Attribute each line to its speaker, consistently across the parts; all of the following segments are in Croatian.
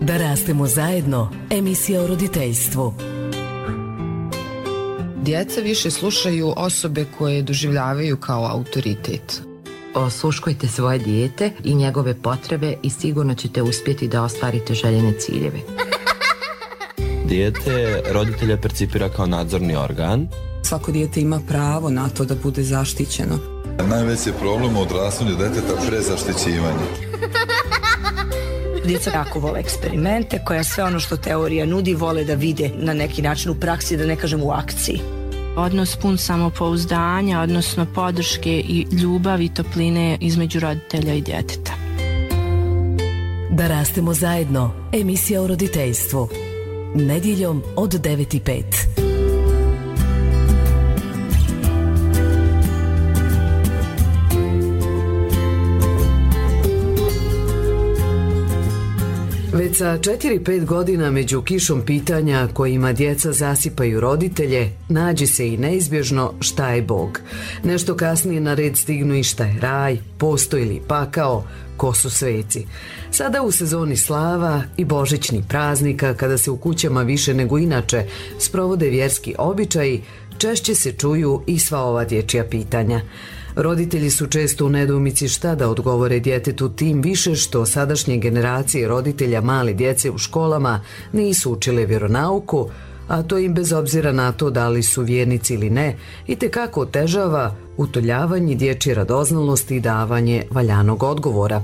Speaker 1: Da rastemo zajedno, emisija o roditeljstvu.
Speaker 2: Djeca više slušaju osobe koje doživljavaju kao autoritet.
Speaker 3: Osluškujte svoje dijete i njegove potrebe i sigurno ćete uspjeti da ostvarite željene ciljeve.
Speaker 4: Dijete roditelja percipira kao nadzorni organ.
Speaker 5: Svako dijete ima pravo na to da bude zaštićeno.
Speaker 6: Najveći problem u odrastanju djeteta prezaštićivanje.
Speaker 7: Djeca jako vole eksperimente, koja sve ono što teorija nudi vole da vide na neki način u praksi, da ne kažem u akciji.
Speaker 8: Odnos pun samopouzdanja, odnosno podrške i ljubavi i topline između roditelja i djeteta.
Speaker 1: Da rastemo zajedno, emisija o roditeljstvu. Nedjeljom od 9:05. Već sa 4-5 godina među kišom pitanja kojima djeca zasipaju roditelje, nađe se i neizbježno šta je Bog. Nešto kasnije na red stignu i šta je raj, postoji li pakao, ko su sveci. Sada u sezoni slava i božićnih praznika, kada se u kućama više nego inače sprovode vjerski običaji, češće se čuju i sva ova dječja pitanja. Roditelji su često u nedoumici šta da odgovore djetetu, tim više što sadašnje generacije roditelja male djece u školama nisu učile vjeronauku, a to im bez obzira na to da li su vjernici ili ne, itekako otežava utoljavanje dječje radoznalosti i davanje valjanog odgovora.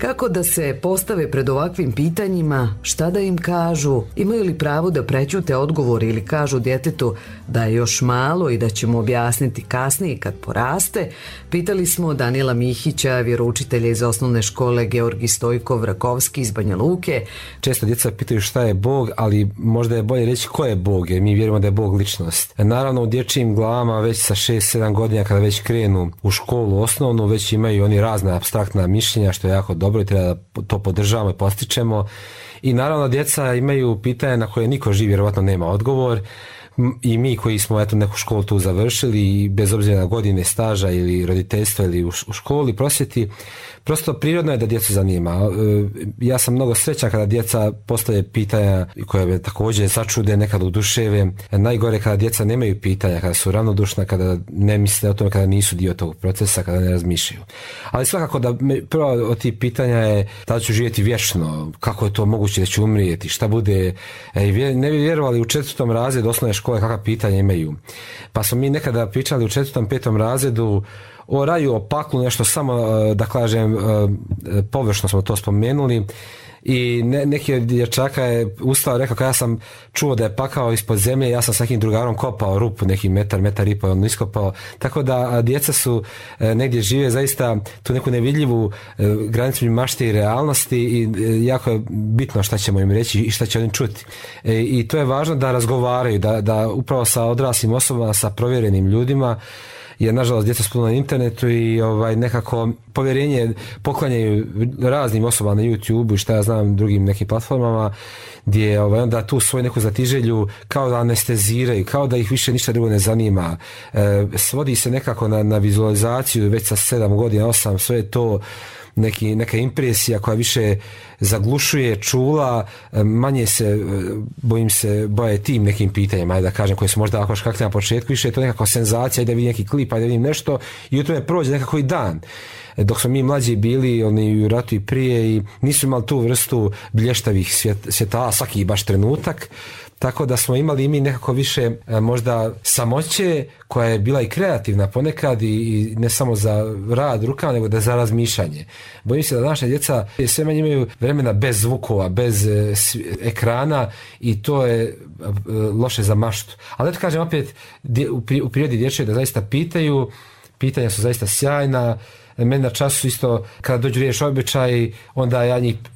Speaker 1: Kako da se postave pred ovakvim pitanjima, šta da im kažu, imaju li pravo da prećute odgovor ili kažu djetetu da je još malo i da ćemo objasniti kasnije kad poraste, pitali smo Danijela Mihića, vjeroučitelja iz osnovne škole Georgij Stojkov Rakovski iz Banja Luke.
Speaker 9: Često djeca pitaju šta je Bog, ali možda je bolje reći ko je Bog, jer mi vjerujemo da je Bog ličnost. Naravno, u dječjim glavama već sa 6-7 godina kada već krenu u školu osnovnu, već imaju oni razna apstraktna mišljenja, što je jako dobro i treba da to podržavamo i postičemo. I naravno djeca imaju pitanja na koje niko živ vjerovatno nema odgovor. I mi koji smo neku školu tu završili i bez obzira na godine staža ili roditeljstva ili u školi prosvjeti, prosto prirodno je da djecu zanima. Ja sam mnogo srećan kada djeca postave pitanja koje me također začude, nekad oduševe. Najgore kada djeca nemaju pitanja, kada su ravnodušna, kada ne misle o tome, kada nisu dio tog procesa, kada ne razmišljaju. Ali svakako da prvo od tih pitanja je da ću živjeti vječno, kako je to moguće da ću umrijeti, šta bude. Ne bi vjerovali u 4. razredu osnovne škole kakva pitanja imaju. Pa smo mi nekada pričali u 4. 5. razredu o raju, o paklu, nešto samo, da kažem, površno smo to spomenuli. I neki od dječaka je ustao, rekao, kada ja sam čuo da je pakao ispod zemlje, ja sam s nekim drugarom kopao rupu, neki metar i pol, on iskopao. Tako da djeca su negdje žive zaista tu neku nevidljivu granicu mašte i realnosti i jako je bitno šta ćemo im reći i šta će oni čuti. I to je važno da razgovaraju, da upravo sa odraslim osobama, sa provjerenim ljudima, jer nažalost djeca su puno na internetu i nekako povjerenje poklanjaju raznim osobama na YouTube i šta ja znam drugim nekim platformama gdje onda tu svoju neku zatiželju kao da anesteziraju, kao da ih više ništa drugo ne zanima. Svodi se nekako na vizualizaciju već sa 7 godina, 8, sve je to neka impresija koja više zaglušuje čula, manje se boje tim nekim pitanjima, da kažem, koje su možda ako škakli na početku, više je to nekako senzacija, da vidim neki klip, da vidim nešto i u tome prođe nekako i dan. Dok smo mi mlađi bili, oni u ratu i prije, i nisu imali tu vrstu blještavih svjetala svaki baš trenutak, tako da smo imali i mi nekako više možda samoće koja je bila i kreativna ponekad i ne samo za rad rukama, nego da za razmišljanje. Bojim se da današnja djeca sve manje imaju vremena bez zvukova, bez ekrana i to je loše za maštu. Ali da kažem opet, u prirodi dječje da zaista pitaju, pitanja su zaista sjajna. Meni na času isto, kada dođu riječ običaj, onda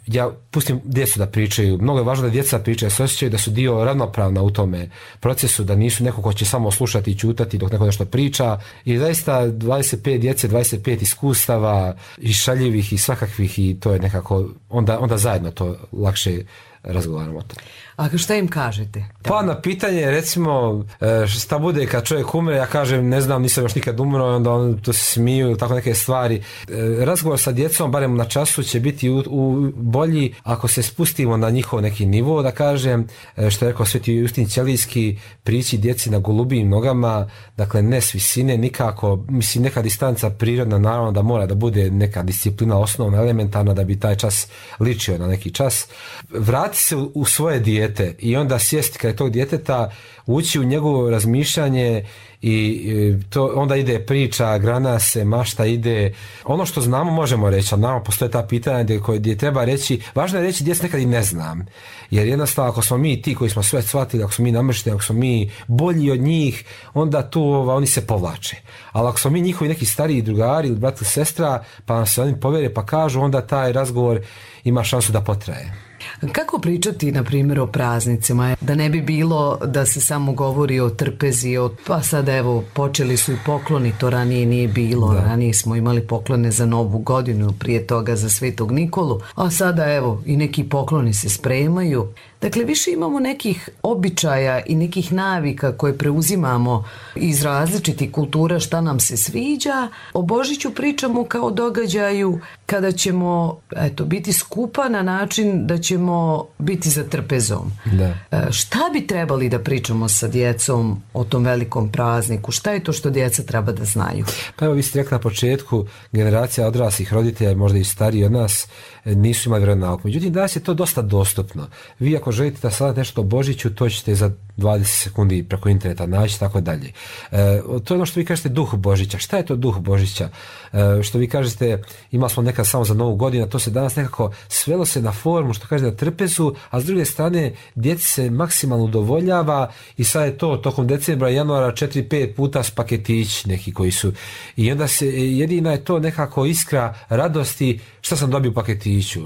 Speaker 9: ja pustim djecu da pričaju. Mnogo je važno da djeca pričaju, da se osjećaju da su dio ravnopravna u tome procesu, da nisu neko ko će samo slušati i ćutati dok neko nešto priča. I zaista 25 djece, 25 iskustava i šaljivih i svakakvih, i to je nekako onda zajedno to lakše razgovaramo o tome.
Speaker 1: A šta im kažete?
Speaker 9: Pa na pitanje, recimo, šta bude kad čovjek umre, ja kažem, ne znam, nisam još nikad umro, onda on to se smiju ili tako neke stvari. Razgovor sa djecom, barem na času, će biti bolji ako se spustimo na njihov neki nivo, da kažem, što je rekao Sveti Justin Ćelijski, prići djeci na golubijim nogama, dakle ne s visine, nikako, mislim, neka distanca prirodna, naravno da mora da bude neka disciplina osnovna, elementarna, da bi taj čas ličio na neki čas. Vrati se u svoje dijete i onda sjesti kraj tog djeteta, ući u njegovo razmišljanje i to onda ide priča, grana se, mašta ide. Ono što znamo možemo reći, ali naravno postoje ta pitanja gdje treba reći, važno je reći djecu nekad i ne znam. Jer jednostavno ako smo mi ti koji smo sve shvatili, ako smo mi namršteni, ako smo mi bolji od njih, onda tu oni se povlače. Ali ako smo mi njihovi neki stariji drugari ili brat ili sestra, pa nam se oni povjere pa kažu, onda taj razgovor ima šansu da potraje.
Speaker 1: Kako pričati, na primjer, o praznicima? Da ne bi bilo da se samo govori o trpezi, pa sada evo, počeli su i pokloni, to ranije nije bilo. Da. Ranije smo imali poklone za Novu godinu, prije toga za Svetog Nikolu, a sada evo, i neki pokloni se spremaju. Dakle, više imamo nekih običaja i nekih navika koje preuzimamo iz različitih kultura šta nam se sviđa. O Božiću pričamo kao događaju kada ćemo biti skupa na način da ćemo biti za trpezom. Da. Šta bi trebali da pričamo sa djecom o tom velikom prazniku? Šta je to što djeca treba da znaju?
Speaker 9: Pa evo, vi ste rekli na početku, generacija odraslih roditelja, možda i stariji od nas, nisu imali vremena nauku. Međutim, danas je to dosta dostupno. Vi ako želite da saznate nešto o Božiću, to ćete za 20 sekundi preko interneta naći, tako dalje. To je ono što vi kažete duh Božića. Šta je to duh Božića? Što vi kažete, imali smo nekad samo za Novu godinu, to se danas nekako svelo se na formu, što kaže na trpezu, a s druge strane djeci se maksimalno udovoljava i sad je to tokom decembra, januara 4-5 puta s paketići neki koji su. I onda se jedina je to nekako iskra radosti šta sam dobio u paketiću,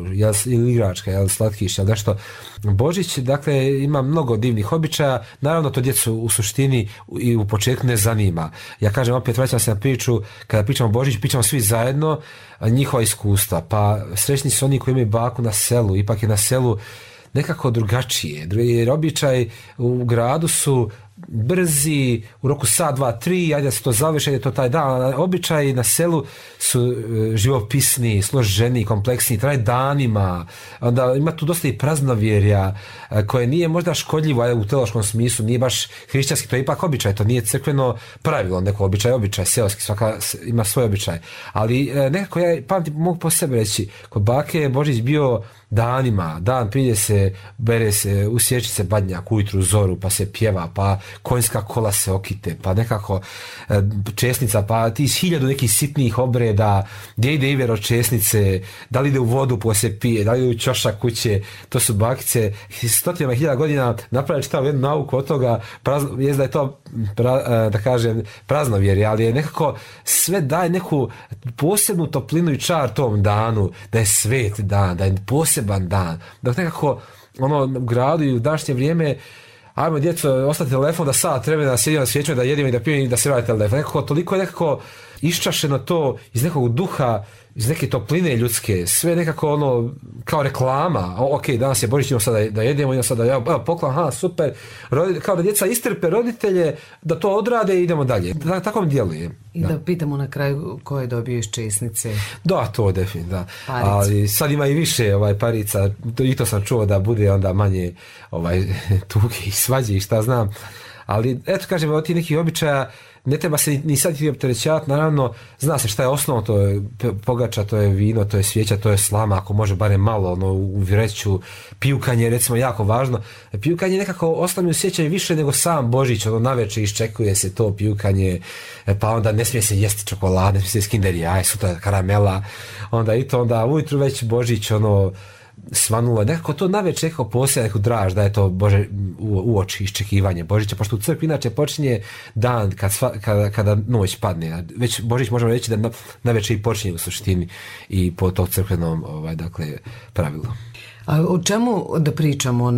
Speaker 9: ili igračka, ili slatkiš, ili nešto. Božić, dakle, ima mnogo divnih običaja, naravno to djecu u suštini i u početku ne zanima. Ja kažem, opet vraćam se na priču, kada pričamo o Božiću, pričamo svi zajedno, njihova iskustva, pa srećni su oni koji imaju baku na selu, ipak je na selu nekako drugačije, jer običaj u gradu su brzi, u roku sat, 2, 3, ajde da se to završi, ajde to taj dan. Običaji na selu su živopisni, složeni, kompleksni, traje danima. Onda ima tu dosta i praznovjerja koje nije možda škodljivo, ajde, u teološkom smislu, nije baš hrišćanski, to je ipak običaj, to nije crkveno pravilo, neko običaj, seoski, svaka ima svoj običaj. Ali nekako ja pamtim, mogu po sebi reći, kod bake je Božić bio danima, dan prije se, bere se, usjeći se badnjak ujutru zoru, pa se pjeva, pa konjska kola se okite, pa nekako česnica, pa ti 1000 nekih sitnih obreda, gdje ide iver od česnice, da li ide u vodu pa se pije, da li ide u ćošak kuće, to su bakice, 100.000 godina napravili čitavu jednu nauku od toga, jest da je to, da kažem, praznovjerje, ali je nekako sve daje neku posebnu toplinu i čar tom danu, da je svet dan, da je poseban dan, da nekako u gradu i u današnje vrijeme ajmo djeco, ostati telefon da sat vremena da sjedimo na svijeću, da jedimo i da pijemo i da se vrati telefon. Nekako toliko je nekako iščašeno to iz nekog duha, iz neke topline ljudske, sve nekako kao reklama. Ok, danas je Božić, idemo sada da jedemo, idemo sada da poklon, super. Kao da djeca istrpe roditelje, da to odrade i idemo dalje. Tako mi djeluje.
Speaker 1: I da pitamo na kraju ko je dobio iz česnice.
Speaker 9: Da, to definitivno, da. Ali sad ima i više parica, i to sam čuo da bude onda manje tuge i svađe i šta znam. Ali eto kažem, od tih nekih običaja ne treba se ni sad i opterećavati, naravno zna se šta je osnovno, to je pogača, to je vino, to je svijeća, to je slama, ako može barem malo u vreću, pijukanje recimo jako važno, pijukanje nekako ostane u sjećanju više nego sam Božić, navečer iščekuje se to pijukanje, pa onda ne smije se jesti čokolade, ne smije se jesti Kinder Jaje, sutra karamela, onda ujutru već Božić svanulo, nekako to navečer nekako posebno neku draž da je to Bože uoči iščekivanje Božića, pošto u crkvi inače počinje dan kada noć padne, već Božić možemo reći da navečer i počinje u suštini i po tog crkvenom pravilu.
Speaker 1: A o čemu da pričamo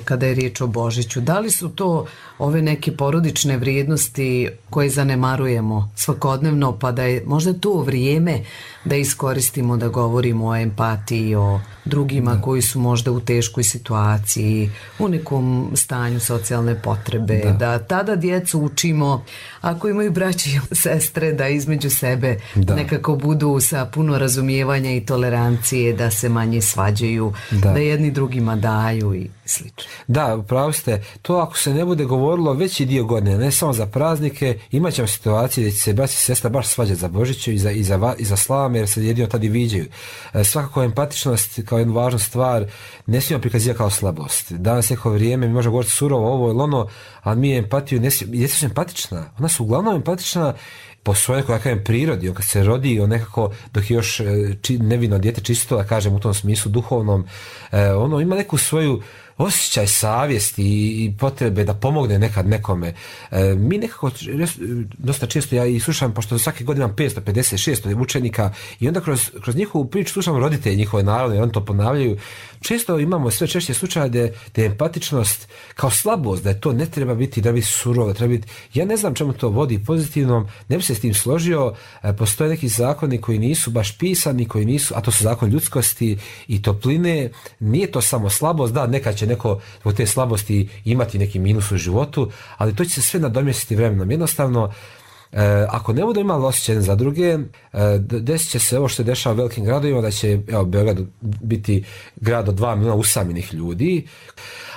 Speaker 1: kada je riječ o Božiću? Da li su to ove neke porodične vrijednosti koje zanemarujemo svakodnevno, pa da je možda to vrijeme da iskoristimo da govorimo o empatiji, o drugima koji su možda u teškoj situaciji, u nekom stanju socijalne potrebe, da tada djecu učimo, ako imaju braće i sestre, da između sebe nekako budu sa puno razumijevanja i tolerancije, da se manje svađaju, da jedni drugima daju i slično.
Speaker 9: Da, upravo ste. To ako se ne bude govorilo veći dio godine, ne samo za praznike, imat ćemo situacije gdje će se braći i sestra baš svađati za Božiću i za slame, jer se jedino tad i viđaju. Svakako empatičnost kao jednu važnu stvar ne smijemo prikazivati kao slabost. Danas neko vrijeme mi možemo govoriti surovo ovo ili ono, ali mi empatiju djeca su empatična. Ona su uglavnom empatična po svojoj nekoj prirodi. On kad se rodi, on nekako, dok je još nevino dijete čisto, da kažem u tom smislu duhovnom, ono ima neku svoju osjećaj savjesti i potrebe da pomogne nekad nekome. Mi nekako dosta često, ja i slušam, pošto svake godine imam 556 učenika i onda kroz njihovu priču slušam roditelji njihove narodne, oni to ponavljaju. Često imamo sve češće slučaje da je empatičnost kao slabost, da je to ne treba biti, da biti surovo, da treba biti... Ja ne znam čemu to vodi pozitivnom, ne bi se s tim složio. Postoje neki zakoni koji nisu baš pisani, koji nisu, a to su zakon ljudskosti i topline. Nije to samo slabost, da, nekad će neko zbog te slabosti imati neki minus u životu, ali to će se sve nadomjestiti vremenom. Jednostavno, ako ne budu imali osjećaj za druge, desit će se ovo što se dešava u velikim gradovima, da će Beograd biti grad od 2 miliona usamljenih ljudi,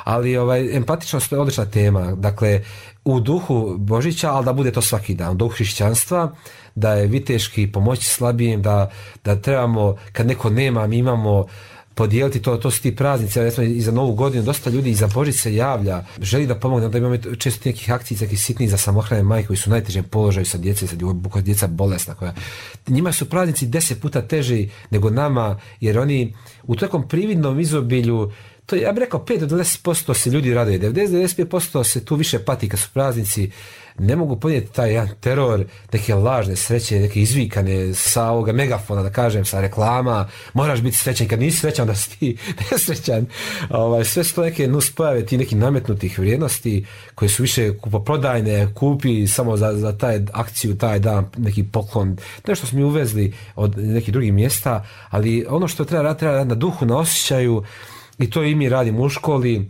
Speaker 9: ali empatičnost je odlična tema. Dakle, u duhu Božića, ali da bude to svaki dan, u duhu hrišćanstva, da je viteški pomoći slabijim, da trebamo, kad neko nema, mi imamo podijeliti to su ti praznici, i za Novu godinu dosta ljudi i za Božić se javlja, želi da pomogne, onda imamo često nekih akcija, nekih sitnih za samohrane majke koji su u najtežem položaju sa djece, koja djeca bolesna, njima su praznici 10 puta teži nego nama, jer oni u takvom prividnom izobilju, to ja bih rekao 5 do 10% se ljudi raduje, 90-95% se tu više pati kad su praznici, ne mogu podnijeti taj jedan teror, neke lažne sreće, neke izvikane sa ovoga megafona, da kažem, sa reklama, moraš biti srećan, kad nisi srećan da si ti nesrećan. Sve su to neke nuspojave, ti neki nametnutih vrijednosti koje su više kupoprodajne, kupi samo za taj akciju, taj dan, neki poklon, nešto smo mi uvezli od nekih drugih mjesta, ali ono što treba raditi na duhu, na osjećaju, i to i mi radimo u školi.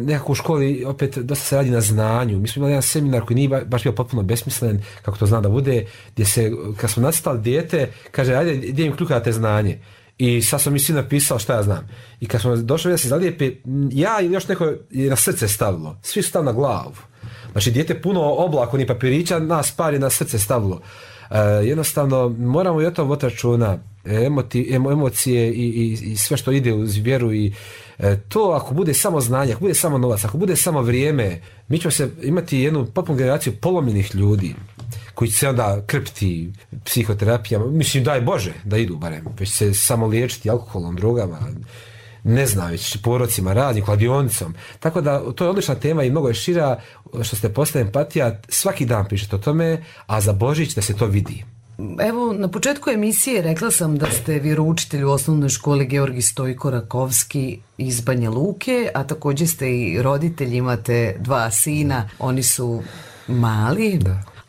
Speaker 9: Nekako u školi opet dosta se radi na znanju. Mi smo imali jedan seminar koji nije baš bio potpuno besmislen, kako to zna da bude, gdje se, kad smo nacrtali dijete, kaže, ajde, gdje im kljukate znanje. I sad sam mi svi napisao šta ja znam. I kad smo došli da se zalijepi, ja ili još neko je na srce stavilo. Svi su stavili na glavu. Znači, dijete puno oblaka, ni papirića, nas par je na srce stavilo. Jednostavno, moramo i o tom voditi računa. Emocije i sve što ide uz vjeru i to ako bude samo znanje, ako bude samo novac, ako bude samo vrijeme, mi ćemo se imati jednu potpunu generaciju polomljenih ljudi koji će se onda krpiti psihoterapijama, mislim daj Bože da idu barem, već se samo liječiti alkoholom, drogama, ne znam, već porocima, raznim, kladionicom. Tako da to je odlična tema i mnogo je šira, što ste postavili empatija, svaki dan pišete o tome, a za Božić da se to vidi.
Speaker 1: Evo, na početku emisije rekla sam da ste vjeroučitelj u osnovnoj školi Georgij Stojko Rakovski iz Banja Luke, a također ste i roditelj, imate 2 sina, oni su mali.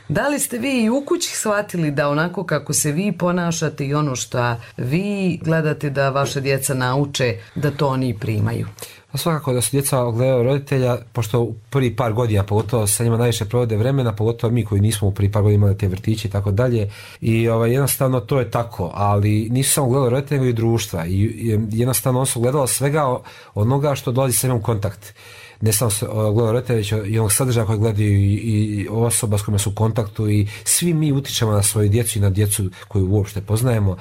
Speaker 1: Da li ste vi i u kući shvatili da onako kako se vi ponašate i ono što vi gledate da vaša djeca nauče, da to oni primaju?
Speaker 9: Pa svakako da su djeca gledaju roditelja, pošto u prvi par godina, pogotovo sa njima najviše provode vremena, pogotovo mi koji nismo u prvi par godina imali te vrtiće i tako dalje. I jednostavno to je tako, ali nisu samo gledali roditelja, nego i društva. I jednostavno on su gledali svega onoga što dolazi sa njom kontakt. Ne samo gledaju roditelja, već i onog sadržaja koji gledaju i osoba s kojima su u kontaktu i svi mi utičemo na svoju djecu i na djecu koju uopšte poznajemo.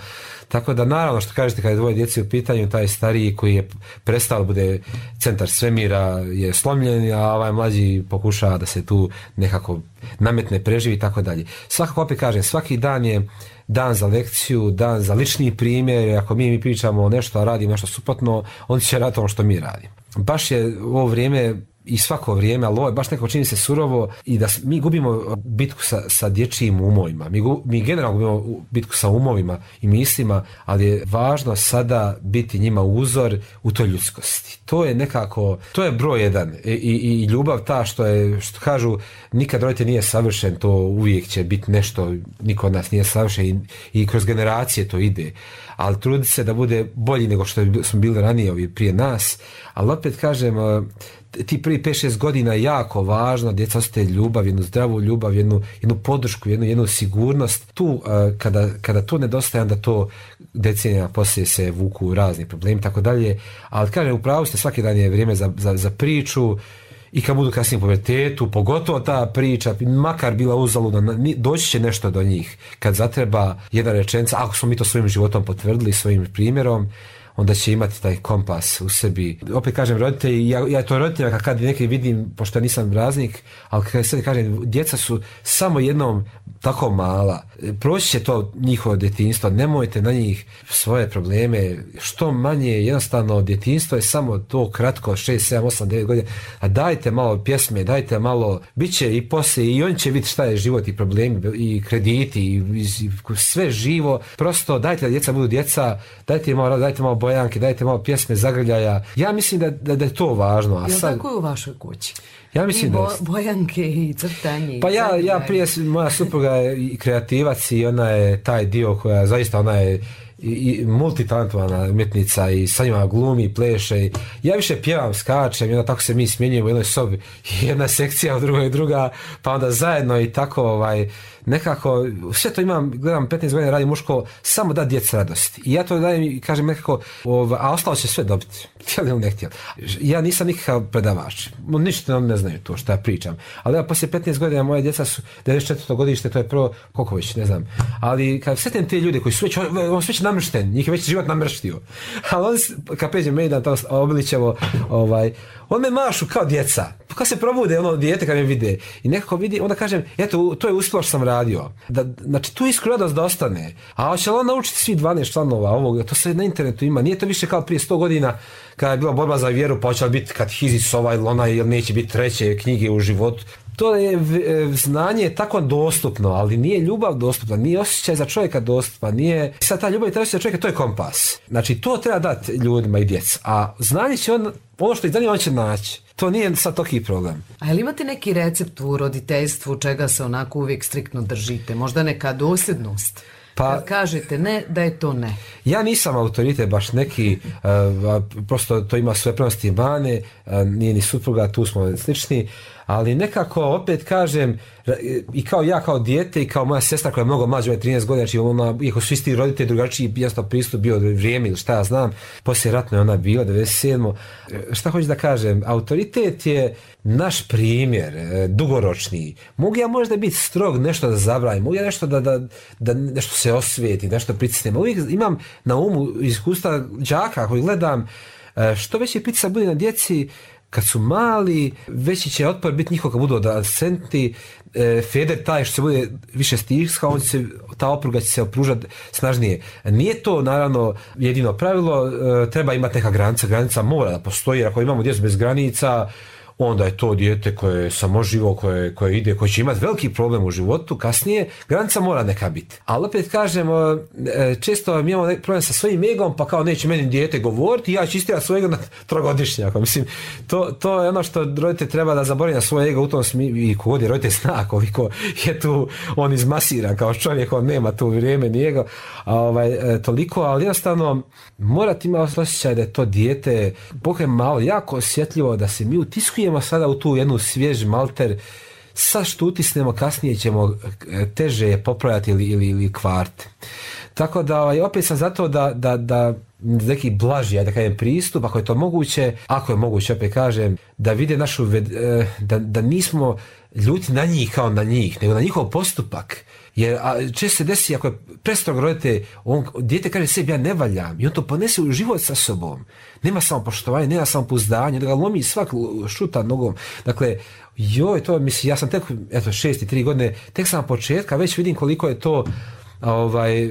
Speaker 9: Tako da naravno što kažete kada je 2 djece u pitanju, taj stariji koji je prestao bude centar svemira je slomljen, a ovaj mlađi pokušava da se tu nekako nametne, preživi i tako dalje. Svakako opet kažem, svaki dan je dan za lekciju, dan za lični primjer, ako mi pričamo nešto, a radimo nešto suprotno, on će raditi ono što mi radimo. Baš je u ovo vrijeme i svako vrijeme, ali ovo je baš nekako čini se surovo i da mi gubimo bitku sa dječjim umovima. Mi generalno gubimo bitku sa umovima i mislima, ali je važno sada biti njima uzor u toj ljudskosti. To je nekako, to je broj jedan i ljubav ta što kažu nikad roditelj nije savršen, to uvijek će biti nešto, niko od nas nije savršen i kroz generacije to ide, ali trudi se da bude bolji nego što smo bili ranije prije nas, ali opet kažem, ti prvi 5-6 godina je jako važno, djeca osjete ljubav, jednu zdravu ljubav, jednu podršku, jednu sigurnost. Tu, kada to nedostaje, onda to decenija poslije se vuku razni problemi, tako dalje. Ali kažem, upravo ste, svaki dan je vrijeme za priču i kad budu kasnije u pubertetu, pogotovo ta priča, makar bila uzaludna, doći će nešto do njih. Kad zatreba jedna rečenica, ako smo mi to svojim životom potvrdili, svojim primjerom, onda će imati taj kompas u sebi. Opet kažem, roditelji, ja to roditeljima kad neki vidim, pošto ja nisam raznik, ali kad sad kažem, djeca su samo jednom tako mala, proći će to njihovo djetinjstvo, nemojte na njih svoje probleme, što manje, jednostavno djetinjstvo je samo to kratko, 6, 7, 8, 9 godina, a dajte malo pjesme, dajte malo, bit će i poslije, i oni će vidjeti šta je život i problemi, i krediti, i sve živo, prosto dajte da djeca budu djeca, dajte malo bojanke, dajte malo pjesme, zagrljaja. Ja mislim da je to važno.
Speaker 1: Jel tako je u vašoj kući?
Speaker 9: Ja mislim da
Speaker 1: bojanke i crtanje.
Speaker 9: Pa ja prije, moja supruga je i kreativac i ona je taj dio koja zaista, ona je i multitalentovana umjetnica i sa njima glumi, pleše. Ja više pjevam, skačem i onda tako se mi smjenjujemo u jednoj sobi. Jedna sekcija, u drugoj druga, pa onda zajedno i tako nekako, sve to imam, gledam 15 godina radim muško, samo da djeci radosti. I ja to dajem i kažem nekako, a ostalo će sve dobiti. Htjeli ili ne htjeli. Ja nisam nikakav predavač. Ništa ne znaju to što ja pričam. Ali ja poslije 15 godina moje djeca su 94. godište, to je prvo, koliko već, ne znam. Ali kad sretim te ljude koji su već namršten, njih je već život namrštio. Ali on, kad pređem Mejdan, to Obilićevo, on me mašu kao djeca. Kad se probude dijete kad me vide i nekako vidi, onda kažem, eto, to je uspjelo što sam radio. Znači, tu iskru radost da ostane. A hoće li on naučiti svi 12 članova ovog, to se na internetu ima. Nije to više kao prije 100 godina kada je bila borba za vjeru, pa hoće li biti katehizis ovaj ili onaj, ili neće biti treće knjige u životu. To je znanje tako dostupno, ali nije ljubav dostupna, nije osjećaj za čovjeka dostupna, nije... Sad ta ljubav i taj osjećaj za čovjeka, to je kompas. Znači, to treba dati ljudima i djeci. A znanje će ono što ih zanima, on će naći. To nije sad toliki problem.
Speaker 1: A je li imate neki recept u roditeljstvu čega se onako uvijek striktno držite? Možda neka dosljednost? Pa, kad kažete ne, da je to ne.
Speaker 9: Ja nisam autoritet baš neki, prosto to ima svoje prednosti i mane, nije ni supruga, tu smo slični, ali nekako opet kažem, i kao ja kao dijete i kao moja sestra koja je mnogo mlađa, 13 godina, znači ona, iako su isti roditelji, drugačiji jasno pristup bio vrijeme ili šta ja znam, poslije ratno je ona bila, 97. Šta hoću da kažem, autoritet je naš primjer, dugoročni. Mogu ja možda biti strog, nešto da zabranim, mogu ja nešto da nešto se osvijeti, nešto pritisnem. Uvijek imam na umu iskustva đaka koji gledam, što veći pritisak bude na djeci, kad su mali, veći će otpor biti njihov kad budu adolescenti, Feder taj što se bude više stiskao, ta opruga će se opružati snažnije. Nije to naravno jedino pravilo, treba imati neka granica mora da postoji, jer ako imamo djecu bez granica, onda je to dijete koje je samoživo, koje ide, koje će imati veliki problem u životu kasnije, granica mora neka biti. Ali opet kažem, često imamo problem sa svojim egom, pa kao neće meni dijete govoriti, ja ću istirati svoj ego na trogodišnjaka. Mislim, to je ono što roditelj treba da zaboravi na svoj ego u tom smislu, i kogod je roditelj zna, koliko je tu on izmasiran kao čovjek, on nema tu vrijeme ni ego, toliko, ali jednostavno morate imati osjećaj da je to dijete, Bog je malo, jako osjetljivo, da se mi utiskujemo sada u tu jednu svjež malter, sad što utisnemo kasnije ćemo teže popravljati ili kvart. Tako da opet sam zato da neki blaži, da kažem, pristup, ako je to moguće, opet kažem, da vide našu, da nismo ljuti na njih kao na njih, nego na njihov postupak. Jer često se desi, ako je prestrog roditelj, dijete kaže sebi, ja ne valjam, i on to ponese u život sa sobom. Nema samo poštovanje, nema samo pouzdanje, da ga lomi svak šuta nogom. Dakle, to mislim, ja sam tek, 6-3 godine, tek sam na početka, već vidim koliko je to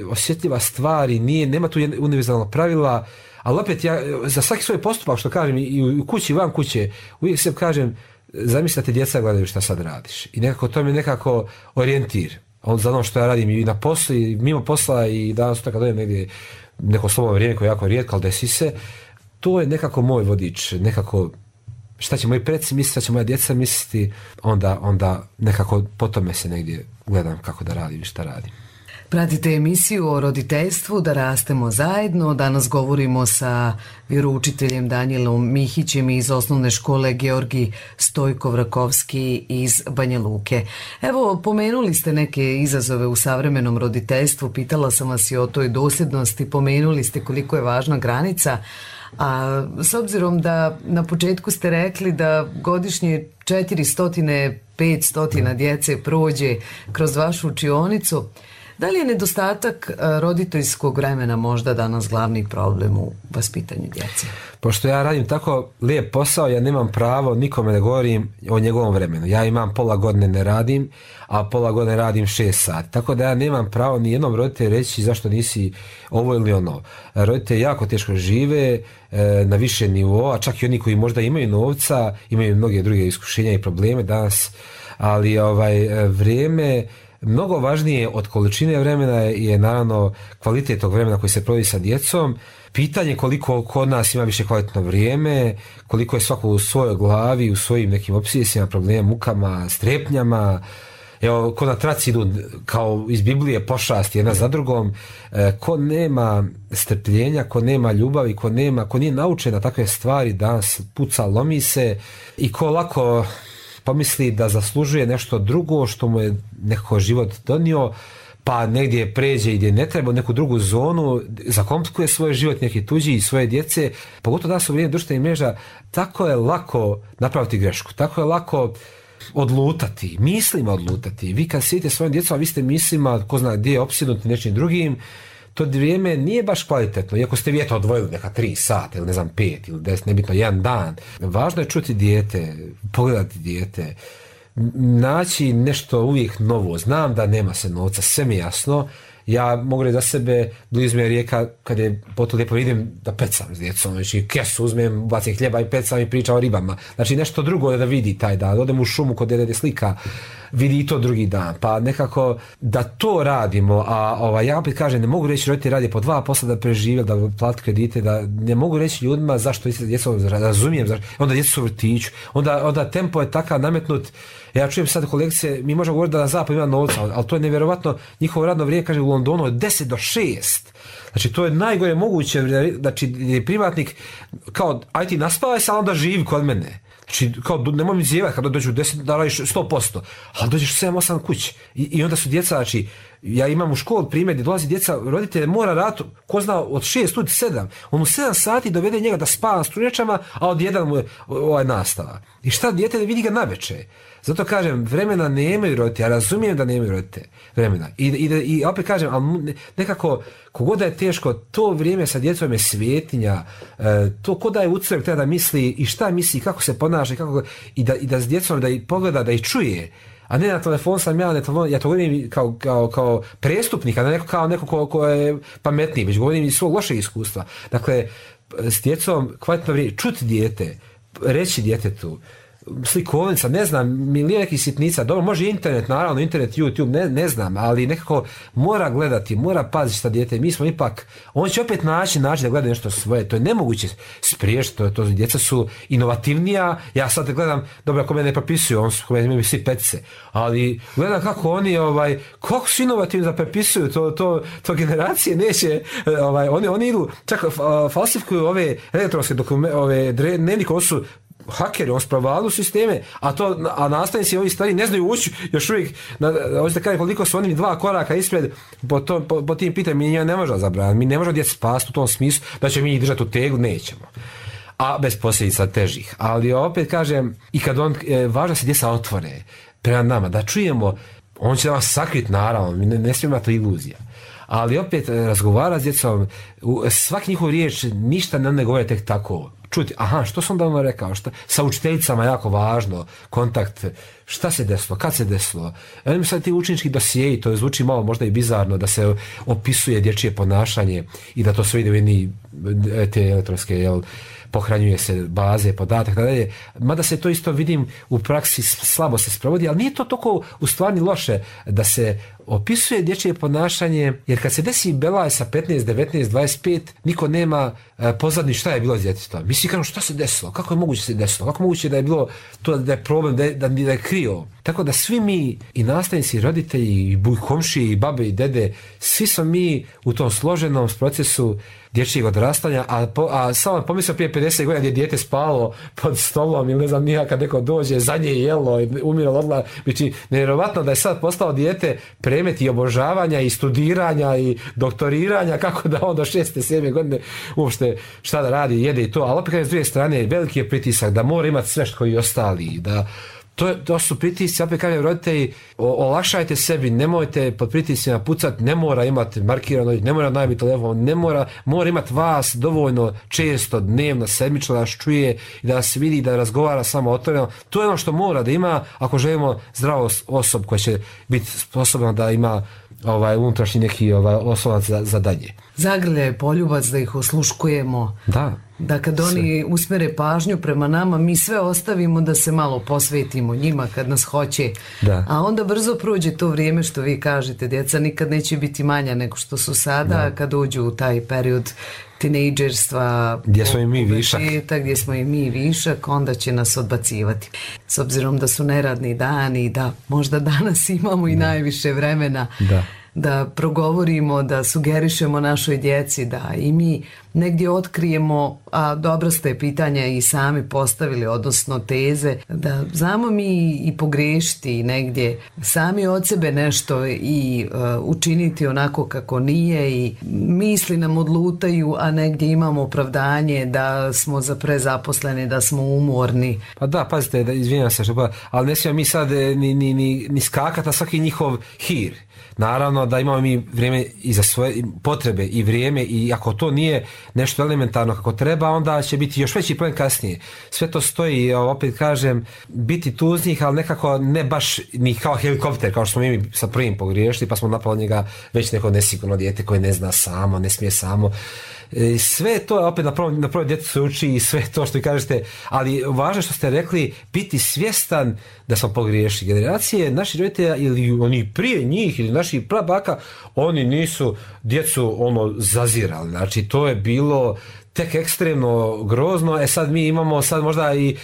Speaker 9: osjetljiva stvar i nema tu univerzalna pravila, Ali opet ja za svaki svoj postupak što kažem i u kući i van kuće uvijek se kažem zamisli da te djeca gledaju šta sad radiš i nekako to mi je nekako orijentir za ono što ja radim i na poslu i mimo posla i danas kad dojem negdje neko slobodno vrijeme koje je jako rijetko, ali desi se, to je nekako moj vodič, nekako šta će moji preci misliti, šta će moja djeca misliti, onda nekako po tome se negdje gledam kako da radim i šta radim.
Speaker 1: Pratite emisiju o roditeljstvu Da rastemo zajedno. Danas govorimo sa vjeroučiteljem Danijelom Mihićem iz osnovne škole Georgij Stojko-Vrakovski iz Banja Luke. Evo, pomenuli ste neke izazove u savremenom roditeljstvu, pitala sam vas i o toj dosljednosti, pomenuli ste koliko je važna granica, a s obzirom da na početku ste rekli da godišnje 400-500 djece prođe kroz vašu učionicu, da li je nedostatak roditeljskog vremena možda danas glavni problem u vaspitanju djece?
Speaker 9: Pošto ja radim tako lijep posao, ja nemam pravo, nikome ne govorim o njegovom vremenu. Ja imam pola godine ne radim, a pola godine radim 6 sati. Tako da ja nemam pravo ni jednom roditelju reći zašto nisi ovo ili ono. Roditelji jako teško žive na više nivoa, čak i oni koji možda imaju novca, imaju mnoge druge iskušenja i probleme danas, ali vrijeme mnogo važnije od količine vremena je naravno kvalitet tog vremena koji se provodi sa djecom. Pitanje koliko kod nas ima više kvalitetno vrijeme, koliko je svako u svojoj glavi, u svojim nekim opsesijama, problemima, mukama, strepnjama. Evo, ko na traci idu kao iz Biblije pošasti jedna za drugom, ko nema strpljenja, ko nema ljubavi, ko nije naučen na takve stvari, danas puca, lomi se i ko lako pomisli da zaslužuje nešto drugo što mu je nekako život donio, pa negdje pređe i gdje ne treba, neku drugu zonu, zakomplikuje svoj život, neki tuđi i svoje djece. Pogotovo danas u vrijeme društvenih mreža, tako je lako napraviti grešku, tako je lako odlutati, mislima odlutati. Vi kad sjedite svojim djecom, a vi ste mislima, ko zna gdje je opsjednuti nečim drugim, to vrijeme nije baš kvalitetno, iako ste vi odvojili neka 3 sata ili 5 ili 10, nebitno jedan dan. Važno je čuti dijete, pogledati dijete, naći nešto uvijek novo. Znam da nema se novca, sve mi je jasno. Ja mogu reći za sebe, blizu mi je rijeka, kad je potom lijepo idem da pecam s djecom, znači kesu uzmem, bacim hljeba i pecam i pričam o ribama. Znači nešto drugo da vidi taj dan, odem u šumu kod dede slika, vidi i to drugi dan, pa nekako da to radimo, a ja opet kažem, ne mogu reći roditelji radi po 2 posla da prežive, da plati kredite, da ne mogu reći ljudima zašto djecu razumijem, onda djecu su u vrtiću, onda tempo je takav nametnut. Ja čujem sad kolegice, mi možemo govoriti da na zapad ima novca, ali to je nevjerovatno, njihovo radno vrijeme, kaže u Londonu od 10 do 6. Znači to je najgore moguće, znači privatnik kao aj ti naspavaj se, ali onda živi kod mene. Znači, kao, nemoj mi zjevati kada dođu 10, da radiš 100%, ali dođeš 7-8 kući. I onda su djeca, znači, ja imam u školu primjer gdje dolazi djeca, roditelje mora raditi, ko zna, od 6 do 7. On u 7 sati dovede njega da spava na strunjačama, a od 1 mu je nastava. I šta dijete vidi ga naveče? Zato kažem, vremena nemaju roditelji, ja razumijem da nemaju roditelji vremena. I opet kažem, ali nekako, kogod da je teško, to vrijeme sa djecom je svetinja, to ko da je u crkvi treba da misli i šta misli, kako se ponaša, i da s djecom da ih pogleda, da ih čuje, a ne na telefon sam ja to govorim kao prestupnik, a ne kao neko ko je pametniji, već govorim iz svog lošeg iskustva. Dakle, s djecom kvalitetno vrijeme, čuti dijete, reći djetetu, slikovnica, ne znam, milijon nekih sitnica, dobro, može internet, naravno, internet, YouTube, ne znam, ali nekako mora gledati, mora paziti šta dijete, mi smo ipak, on će opet naći da gleda nešto svoje, to je nemoguće spriješiti, to djeca su inovativnija, ja sad gledam, dobro, ako me ne propisuju, on su imaju svi petice, ali gledam kako oni, kako su inovativni da prepisuju, to generacije neće, oni idu, čak falsifikuju ove elektronske dnevnike, ovo su hakeri, on spravljaju sisteme, a nastavnici ovi stari ne znaju ući još uvijek, hoćete kažem koliko su oni 2 koraka ispred po tim pitanjima, mi ne možemo zabraniti, mi ne možemo djecu spasti u tom smislu da će mi držati u tegu, nećemo. A bez posljedica težih. Ali opet kažem, i kad važno se djeca otvore prema nama, da čujemo, on će da vas sakriti, naravno, ne smijemo imati iluzija. Ali opet razgovara s djecom, svaki njihov riječ ništa ne govore tek tako. čuti, aha, što sam da rekao, sa učiteljicama jako važno, kontakt, šta se desilo, kad se desilo. Evo sad ti učenički dosijeji, to zvuči malo možda i bizarno, da se opisuje dječje ponašanje i da to sve ide u jedni te elektronske, pohranjuje se baze, podatak, dalje. Mada se to isto vidim u praksi slabo se sprovodi, ali nije to toliko u stvari loše da se opisuje dječje ponašanje, jer kad se desi belaj sa 15, 19, 25, niko nema pozadnji šta je bilo s djetetom. Mi svi kažemo šta se desilo, kako je moguće se desilo, kako je moguće da je bilo to, da je problem, da je krio. Tako da svi mi, i nastavnici, i roditelji, i komšiji, i babe, i dede, svi smo mi u tom složenom procesu dječjeg odrastanja, a samo pomislio prije 50 godina gdje je dijete spalo pod stolom ili ne znam nija, kad neko dođe, zadnje je jelo i umiralo odla. Znači, nevjerovatno da je sad postao dijete predmet i obožavanja i studiranja i doktoriranja, kako da on do 6. 7. godine uopšte šta da radi, jede i to. Ali opet s druge strane, veliki je pritisak da mora imati sve što i ostali, da to su pritisci, opet kažem roditelji, olakšajte sebi, nemojte pod pritiscima pucati, ne mora imati markirano, ne mora najbiti telefon, mora imati vas dovoljno često, dnevno, sedmično da vas čuje i da se vidi, da razgovara samo otvoreno. To je ono što mora da ima ako želimo zdravu osobu koja će biti sposobna da ima unutrašnji neki oslonac za dalje.
Speaker 1: Zagrljaj poljubac da ih osluškujemo. Da kad oni usmere pažnju prema nama, mi sve ostavimo da se malo posvetimo njima kad nas hoće. A onda brzo prođe to vrijeme što vi kažete, djeca nikad neće biti manja nego što su sada, kad uđu u taj period tinejdžerstva,
Speaker 9: gdje smo i mi višak.
Speaker 1: Gdje smo i mi višak, onda će nas odbacivati. S obzirom da su neradni dani, da možda danas imamo i najviše vremena da progovorimo, da sugerišemo našoj djeci, da i mi negdje otkrijemo, a dobro ste pitanja i sami postavili, odnosno teze, da znamo mi i pogriješiti i negdje sami od sebe nešto i učiniti onako kako nije i misli nam odlutaju, a negdje imamo opravdanje da smo prezaposleni, da smo umorni.
Speaker 9: Pa da, pazite, izvinjam se, ali ne smijemo mi sad ni skakati na svaki njihov hir. Naravno da imamo mi vrijeme i za svoje potrebe i vrijeme, i ako to nije nešto elementarno kako treba, onda će biti još veći problem kasnije. Sve to stoji, opet kažem, biti tu uz njih, ali nekako ne baš ni kao helikopter, kao što smo mi sa prvim pogriješili, pa smo napali njega već neko nesigurno dijete koje ne zna samo, ne smije samo. Sve to opet na prvo djetetu se uči i sve to što vi kažete, ali važno što ste rekli, biti svjestan da smo pogriješili. Generacije naših roditelja ili oni prije njih ili naših prabaka, oni nisu djecu zazirali. Znači to je bilo tek ekstremno grozno. Sad mi imamo sad možda i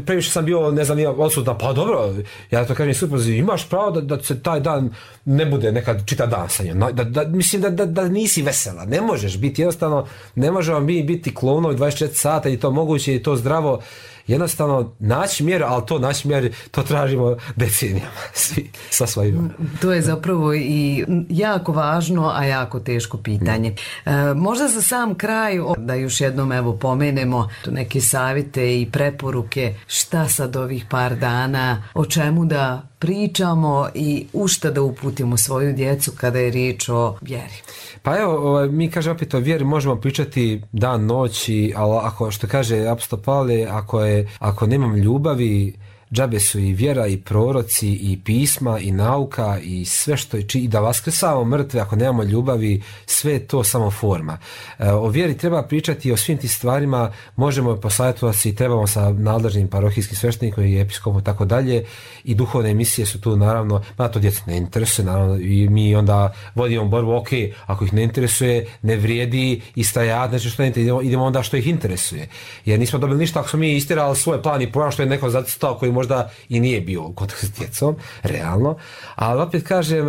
Speaker 9: previše sam bio, ne znam, odsutan, pa dobro, ja to kažem super, imaš pravo da se taj dan ne bude nekad čita dan sa njom, mislim da nisi vesela, ne možeš biti, jednostavno ne možemo mi biti klounovi 24 sata i to moguće i to zdravo, jednostavno naći mjeru, ali to tražimo decenijama, svi sa svojim.
Speaker 1: To je zapravo i jako važno, a jako teško pitanje. Možda za sam kraj, da još jednom pomenemo neke savjete i preporuke, šta sad ovih par dana, o čemu da pričamo i u šta da uputimo svoju djecu kada je riječ o vjeri.
Speaker 9: Pa evo, mi kažemo opet o vjeri možemo pričati dan, noć, ali ako, što kaže apostol Pavle, ako nemam ljubavi, džabe su i vjera i proroci i pisma i nauka i sve što je, i da vaskrsavamo mrtve ako nemamo ljubavi, sve je to samo forma. O vjeri treba pričati, o svim tim stvarima možemo posavjetovati i trebamo sa nadležnim parohijskim sveštenikom i episkopom tako dalje, i duhovne emisije su tu naravno, to djecu ne interesuje naravno, i mi onda vodimo borbu, ok, ako ih ne interesuje, ne vrijedi istajati, znači što ne interesuje, idemo onda što ih interesuje, jer nismo dobili ništa ako smo mi istirali svoj plan i program što je neko zacrtao koji možda i nije bio u kontaktu s djecom, realno, ali opet kažem,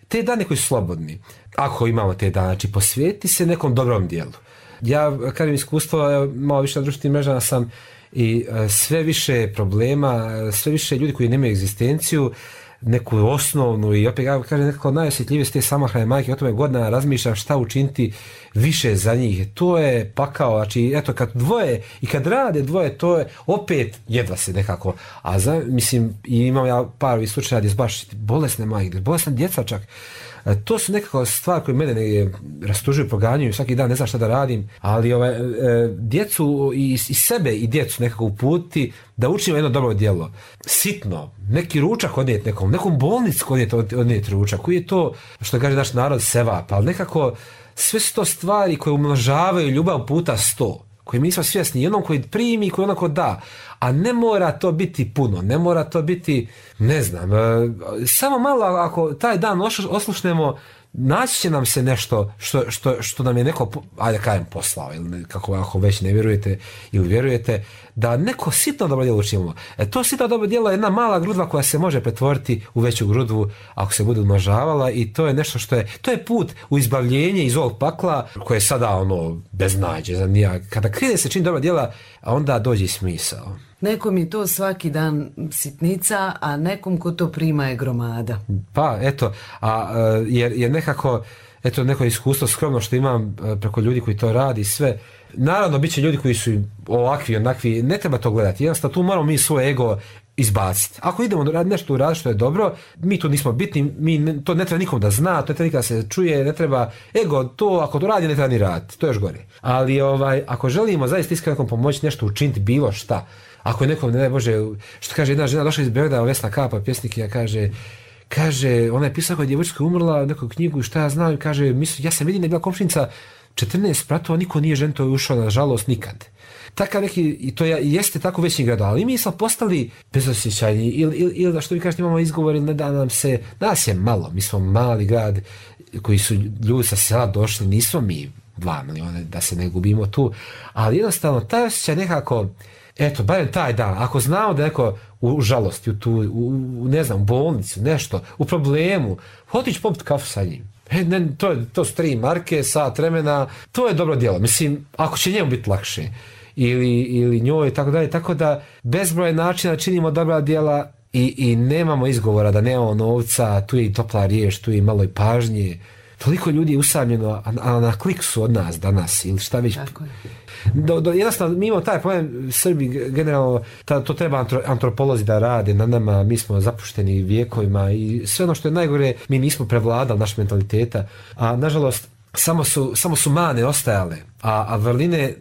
Speaker 9: te dane koji su slobodni, ako imamo te dane, znači posvijeti se nekom dobrom dijelu. Ja kažem iskustvo, malo više na društvenim mrežama sam i sve više problema, sve više ljudi koji nemaju egzistenciju, neku osnovnu, i opet ja kažem nekako najosjetljivije su te samohrane majke, o tome godina razmišljam šta učiniti više za njih. To je pakao, znači eto kad dvoje i kad rade dvoje, to je opet jedva se nekako, a mislim i imam ja par slučaja gdje su baš bolesne majke, bolesna djeca čak, To su nekako stvari koje mene rastužuju, proganjaju, svaki dan ne znam šta da radim, ali djecu i sebe i djecu nekako uputiti da učimo jedno dobro djelo. Sitno, neki ručak odnijeti nekom bolnicu odnijeti ručak, koji je to, što kaže naš narod, sevap, ali nekako sve su to stvari koje umnožavaju ljubav puta 100, koji mi nismo svjesni, i onom koji primi i koji onako da, a ne mora to biti puno, ne mora to biti, ne znam, samo malo ako taj dan oslušnemo, naći će nam se nešto što nam je neko, ajde kažem, poslao, ili kako ako već ne vjerujete ili vjerujete, da neko sitno dobro djelo učinimo. To sitno dobro djelo je jedna mala grudva koja se može pretvoriti u veću grudvu ako se bude umnožavala, i to je nešto to je put u izbavljenje iz ovog pakla koje je sada beznađe. Kada krene se čini dobra djela, onda dođe smisao.
Speaker 1: Nekom je to svaki dan sitnica, a nekom ko to prima je gromada.
Speaker 9: Pa, eto, jer nekako, eto, neko iskustvo skromno što imam preko ljudi koji to radi, sve. Naravno, bit će ljudi koji su ovakvi, onakvi, ne treba to gledati. Jednostavno, tu moramo mi svoj ego izbaciti. Ako idemo nešto uraditi što je dobro, mi tu nismo bitni, to ne treba nikom da zna, to ne treba nikada se čuje, ne treba ego, to ako to radi, ne treba ni raditi, to je još gore. Ali ako želimo zaista iskreno nekom pomoći, nešto učiniti, bilo šta, ako je nekom, ne daj Bože, što kaže jedna žena došla iz Beograda, Vesna Kapa, pjesnikinja, kaže, ona je pisala koja je djevojčica umrla, neku knjigu i šta ja znam, kaže, ja sam vidim da je bila komšinica 14 spratova, niko nije ženito ušao, nažalost, nikad. Takav neki, i to jeste tako veći grad, ali mi smo postali bezosjećajni, ili da što vi kažete imamo izgovor, ili ne da nam se, nas je malo, mi smo mali grad koji su ljudi sa sela došli, nismo mi 2 miliona, da se ne gubimo tu, ali jednostavno taj osjećaj nekako, eto, barem taj dan, ako znamo da neko u žalosti, u ne znam, bolnicu, nešto, u problemu, otići popiti kafu sa njim. To su 3 marke, sat vremena, to je dobro djelo. Mislim, ako će njemu biti lakše, ili njoj, i tako dalje, tako da bezbroj načina činimo dobra djela i nemamo izgovora da nemamo novca, tu je i topla riječ, tu je i malo i pažnje. Toliko ljudi je usamljeno, a na klik su od nas danas, ili šta već. Jednostavno, mi imamo taj problem, Srbi generalno, to treba antropolozi da rade na nama, mi smo zapušteni vijekovima i sve ono što je najgore, mi nismo prevladali naš mentaliteta, a nažalost samo su mane ostajale, a vrline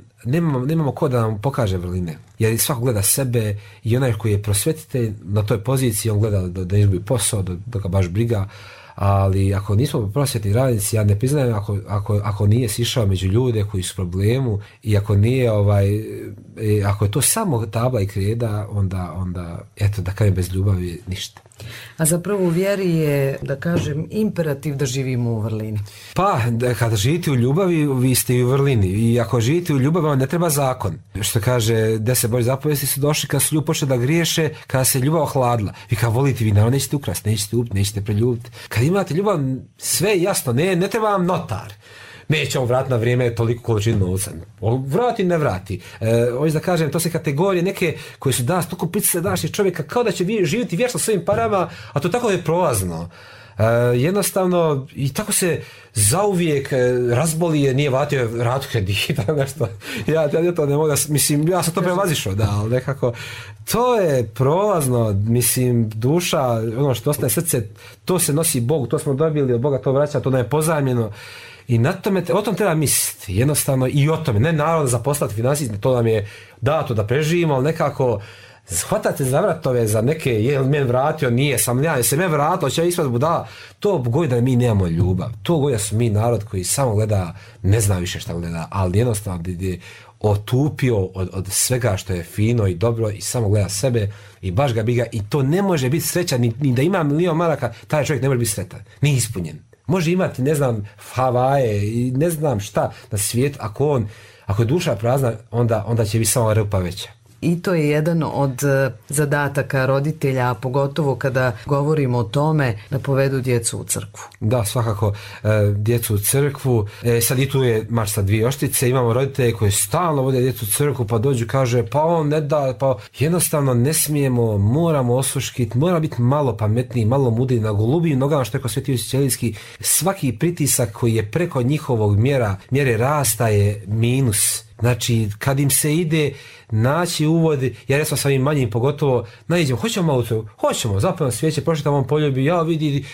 Speaker 9: nemamo ko da nam pokaže vrline, jer svako gleda sebe i onaj koji je prosvjetitelj na toj poziciji, on gleda da izgubi posao, da ga baš briga. Ali ako nismo prosvjetni radnici, ja ne priznajem ako nije sišao među ljude koji su u problemu i ako nije ako je to samo tabla i kreda, onda eto, da kažem, bez ljubavi ništa.
Speaker 1: A zapravo u vjeri je, da kažem, imperativ da živimo u vrlini.
Speaker 9: Pa, kada živite u ljubavi, vi ste i u vrlini. I ako živite u ljubavi, vam ne treba zakon. Što kaže, 10 Božjih zapovesti su došli kada su ljudi počeli da griješe, kada se ljubav ohladila. Vi kao volite, vi naravno nećete ukrasti, nećete upiti, nećete preljubiti. Kad imate ljubav, sve je jasno, ne treba vam notar. Neće on vratiti na vrijeme toliko količinu novca. Vrati, ne vrati. Hoću da kažem, to se kategorije neke koje su danas toliko pritisak današnjih čovjeka, kao da će živjeti vječno svojim parama, a to tako je prolazno. Jednostavno, i tako se zauvijek razboli, nije vratio ratu kredita, nešto. Ja to ne mogu, mislim, ja sam to prevazišao, da, ali nekako, to je prolazno, mislim, duša, ono što ostaje srce, to se nosi Bogu, to smo dobili od Boga, to vraća, to nam je pozajmljeno. I na tome, o tom treba misliti, jednostavno, i o tome, ne naravno zaposlati financijski, to nam je dato da preživimo, ali nekako shvatate za vratove za neke, je li men vratio, nije, se men vratilo, će ispred budala, to govori da mi nemamo ljubav, to govori da su mi narod koji samo gleda, ne zna više šta gleda, ali jednostavno je otupio od svega što je fino i dobro i samo gleda sebe i baš ga biga, i to ne može biti srećan, ni da ima milion maraka, taj čovjek ne može biti sretan, nije ispunjen. Može imati, ne znam, Havaje i ne znam šta na svijetu, ako je duša prazna, onda će biti samo rupa veća.
Speaker 1: I to je jedan od zadataka roditelja, a pogotovo kada govorimo o tome da povedu djecu u crkvu.
Speaker 9: Da, svakako, djecu u crkvu. Sad i tu je marš sa 2 oštice, imamo roditelje koji stalno vode djecu u crkvu, pa dođu, kaže, pa on ne da, pa jednostavno ne smijemo, moramo osluškiti, mora biti malo pametniji, malo mudriji, na golubijim nogama, što je kod Sveti Josip Ćelijski, svaki pritisak koji je preko njihovog mjere rasta je minus. Znači, kad im se ide naći uvod, ja recimo sa ovim manjim pogotovo, naiđemo, hoćemo malo to, hoćemo, zapravo svijeće, prošetam on poljubi, ja vidi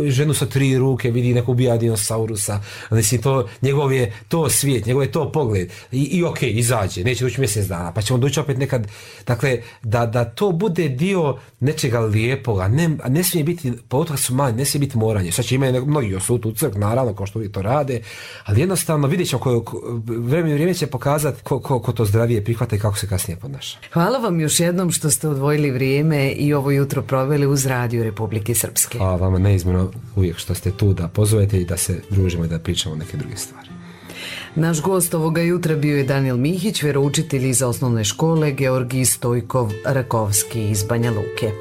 Speaker 9: ženu sa 3 ruke, vidi neko ubija dinosaurusa, mislim, njegov je to svijet, njegov je to pogled, i ok, izađe, neće doći mjesec dana, pa ćemo doći opet nekad, dakle, da to bude dio nečega lijepoga, ne smije biti, pogotovo su mali, ne smije biti moranje, sad će imaju mnogi osut u crk, naravno, kao što uvijek to rade, ali jednostavno vidjet ćemo vrijeme će pokazati ko to zdravije prihvata i kako se kasnije ponaša.
Speaker 1: Hvala vam još jednom što ste odvojili vrijeme i ovo jutro proveli uz Radio Republike Srpske.
Speaker 9: Hvala vama neizmjerno uvijek što ste tu da pozovete i da se družimo i da pričamo neke druge stvari.
Speaker 1: Naš gost ovoga jutra bio je Danijel Mihić, vjeroučitelj iz osnovne škole Georgij Stojkov Rakovski iz Banja Luke.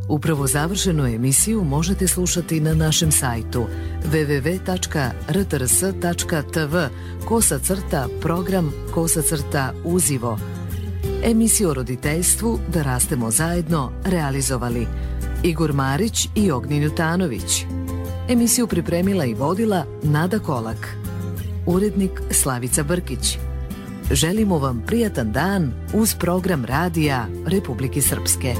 Speaker 1: Upravo završenu emisiju možete slušati na našem sajtu www.rtrs.tv/program/uzivo. Emisiju o roditeljstvu Da rastemo zajedno realizovali Igor Marić i Ognjen Jutanović. Emisiju pripremila i vodila Nada Kolak. Urednik Slavica Brkić. Želimo vam prijatan dan uz program Radija Republike Srpske.